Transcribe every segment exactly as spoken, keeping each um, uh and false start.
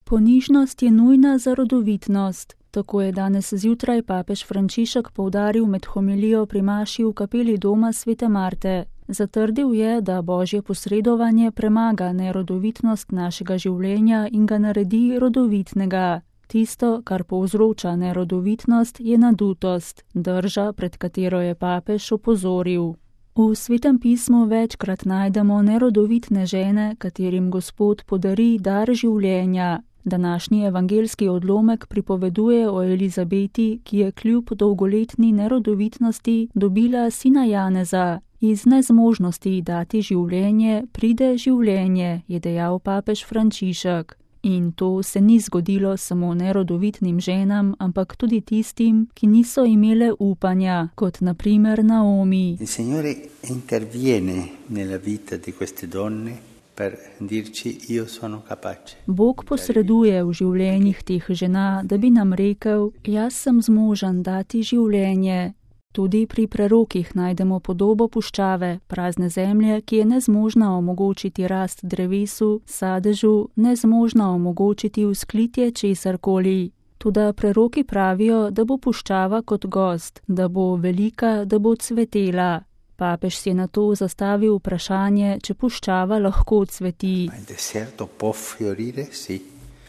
Ponižnost je nujna za rodovitnost. Tako je danes zjutraj papež Frančišek poudaril med homilijo pri maši v kapeli doma Svete Marte. Zatrdil je, da Božje posredovanje premaga nerodovitnost našega življenja in ga naredi rodovitnega. Tisto, kar povzroča nerodovitnost, je nadutost, drža, pred katero je papež opozoril. V Svetem pismu večkrat najdemo nerodovitne žene, katerim Gospod podari dar življenja. Današnji evangelski odlomek pripoveduje o Elizabeti, ki je kljub dolgoletni nerodovitnosti dobila sina Janeza. Iz nezmožnosti dati življenje pride življenje, je dejal papež Frančišek. In to se ni zgodilo samo nerodovitnim ženam, ampak tudi tistim, ki niso imele upanja, kot na primer Naomi. Il Signore interviene nella vita di queste donne per dirci io sono capace. Bog posreduje v življenjih teh žena, da bi nam rekel, jaz sem zmožen dati življenje. Tudi pri prerokih najdemo podobo puščave, prazne zemlje, ki je nezmožna omogočiti rast drevesu, sadežu, nezmožna omogočiti vzklitje česarkoli. Toda preroki pravijo, da bo puščava kot gost, da bo velika, da bo cvetela. Papež si je na to zastavil vprašanje, če puščava lahko cveti. Il deserto può fiorire, sì.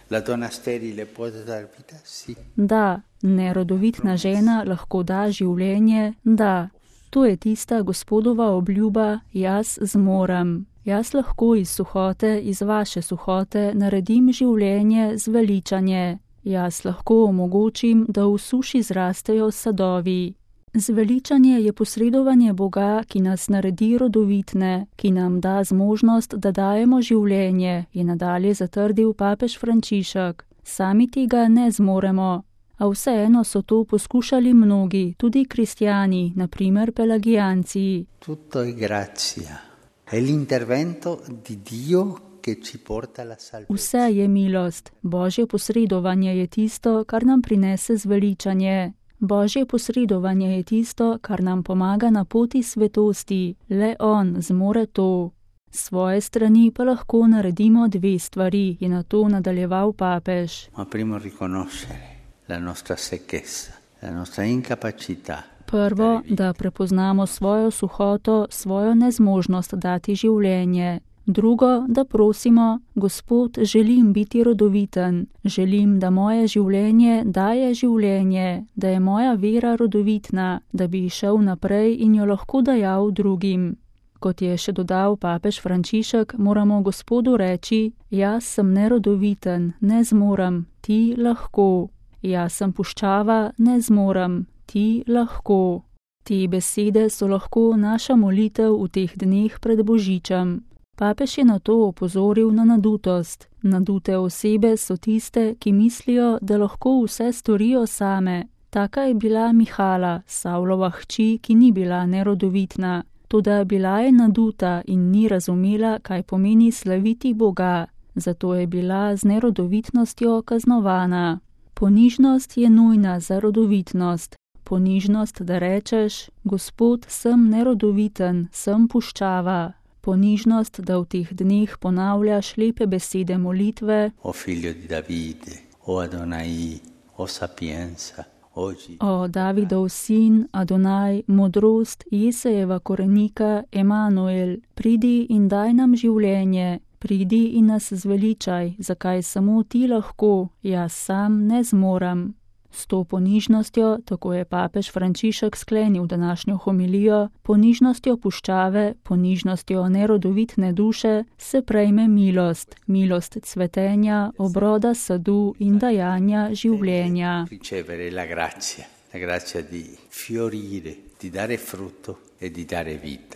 La donna sterile può dar vita, sì. Da, nerodovitna žena lahko da življenje, da. To je tista Gospodova obljuba, jaz zmorem. Jaz lahko iz suhote, iz vaše suhote naredim življenje zveličanje. Jaz lahko omogočim, da v suši zrastejo sadovi. Zveličanje je posredovanje Boga, ki nas naredi rodovitne, ki nam da zmožnost, da dajemo življenje, je nadalje zatrdil papež Frančišek. Sami tega ne zmoremo, a vseeno so to poskušali mnogi, tudi kristjani, na primer pelagijanci. Tutto è grazia. È l'intervento di Dio che ci porta alla salvezza. Vse je milost. Božje posredovanje je tisto, kar nam prinese zveličanje. Božje posredovanje je tisto, kar nam pomaga na poti svetosti. Le On zmore to. S svoje strani pa lahko naredimo dve stvari, je na to nadaljeval papež. Ma primo riconoscere la nostra secchezza, la nostra incapacità. Prvo, da prepoznamo svojo suhoto, svojo nezmožnost dati življenje. Drugo, da prosimo, Gospod, želim biti rodoviten, želim, da moje življenje daje življenje, da je moja vera rodovitna, da bi šel naprej in jo lahko dajal drugim. Kot je še dodal papež Frančišek, moramo Gospodu reči, jaz sem nerodoviten, ne zmorem, ti lahko. Jaz sem puščava, ne zmorem, ti lahko. Te besede so lahko naša molitev v teh dneh pred Božičem. Papež je na to opozoril na nadutost. Nadute osebe so tiste, ki mislijo, da lahko vse storijo same. Taka je bila Mihala, Savlova hči, ki ni bila nerodovitna. Toda bila je naduta in ni razumela, kaj pomeni slaviti Boga. Zato je bila z nerodovitnostjo kaznovana. Ponižnost je nujna za rodovitnost. Ponižnost, da rečeš, Gospod, sem nerodoviten, sem puščava. Ponižnost, da v teh dneh ponavljaš lepe besede molitve. O figlio di Davide, o Adonai, o sapienza, oggi. O Davidov sin, Adonai, modrost, Jesejeva korenika, Emanuel, pridi in daj nam življenje, pridi in nas zveličaj, zakaj samo ti lahko, jaz sam ne zmorem. S to ponižnostjo, tako je papež Frančišek sklenil današnjo homilijo, ponižnostjo puščave, ponižnostjo nerodovitne duše, se prejme milost, milost cvetenja, obroda sadu in dajanja življenja. Ricevere la grazia, la grazia di fiorire, di dare frutto e di dare vita.